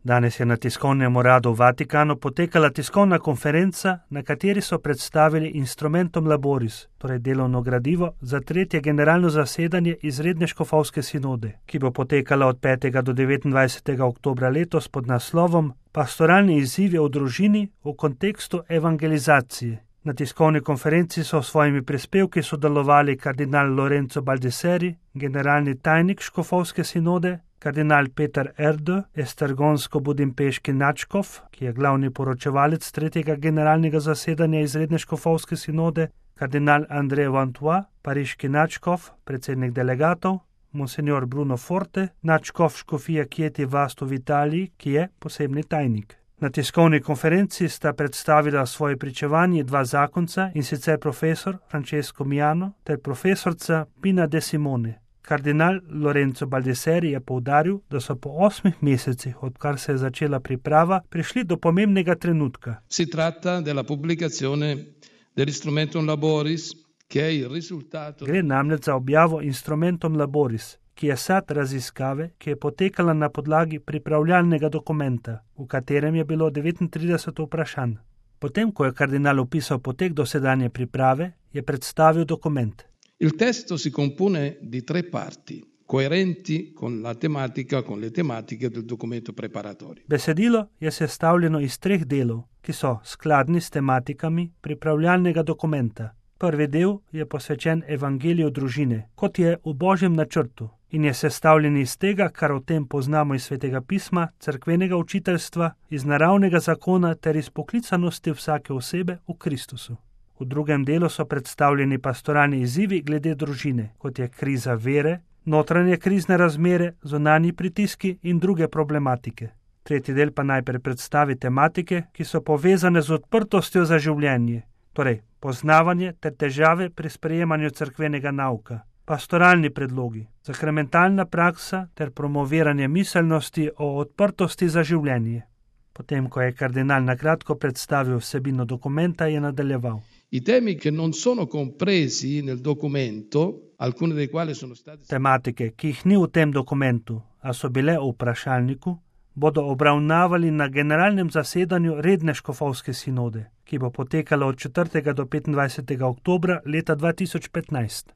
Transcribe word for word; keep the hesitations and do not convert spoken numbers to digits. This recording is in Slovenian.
Danes je na tiskovnem uradu v Vatikanu potekala tiskovna konferenca, na kateri so predstavili Instrumentum Laboris, torej delovno gradivo za tretje generalno zasedanje izredne škofovske sinode, ki bo potekala od petega do devetindvajsetega oktobra letos pod naslovom Pastoralni izzivi v družini v kontekstu evangelizacije. Na tiskovni konferenci so s svojimi prispevki sodelovali kardinal Lorenzo Baldisseri, generalni tajnik škofovske sinode, kardinal Peter Erdő, estergonsko-budimpeški nadškof, ki je glavni poročevalec tretjega generalnega zasedanja izredne škofovske sinode, kardinal André Vantois, pariški nadškof, predsednik delegatov, monsignor Bruno Forte, nadškof škofije Chieti Vasto v Italiji, ki je posebni tajnik. Na tiskovni konferenci sta predstavila svoje pričevanje dva zakonca, in sicer profesor Francesco Miano ter profesorca Pina de Simone. Kardinal Lorenzo Baldisseri je poudaril, da so po osmih mesecih, odkar se je začela priprava, prišli do pomembnega trenutka. Si tratta della pubblicazione dell'Instrumentum Laboris, che è il risultato... Gre namreč za objavo Instrumentum Laboris, ki je sad raziskave, ki je potekala na podlagi pripravljalnega dokumenta, v katerem je bilo devetintrideset vprašanj. Potem, ko je kardinal opisal potek dosedanje priprave, je predstavil dokument. Il testo si compone di tre parti, coerenti con la tematica, con le tematiche del documento preparatorio. Besedilo je sestavljeno iz treh delov, ki so skladni s tematikami pripravljalnega dokumenta. Prvi del je posvečen evangeliju družine, kot je v Božjem načrtu, in je sestavljen iz tega, kar o tem poznamo iz Svetega pisma, cerkvenega učiteljstva, iz naravnega zakona ter iz poklicanosti vsake osebe v Kristusu. V drugem delu so predstavljeni pastoralni izzivi glede družine, kot je kriza vere, notranje krizne razmere, zunanji pritiski in druge problematike. Tretji del pa najprej predstavi tematike, ki so povezane z odprtostjo za življenje, torej poznavanje ter težave pri sprejemanju cerkvenega nauka, pastoralni predlogi, sakramentalna praksa ter promoviranje miselnosti o odprtosti za življenje. Potem, ko je kardinal na kratko predstavil vsebino dokumenta, je nadaljeval. I temi che non sono compresi nel documento, alcuni dei quali sono stati... Tematike, ki jih ni v tem dokumentu, a so bile v vprašalniku, bodo obravnavali na generalnem zasedanju redne škofovske sinode, ki bo potekalo od četrtega do petindvajsetega oktobra leta dva tisoč petnajst.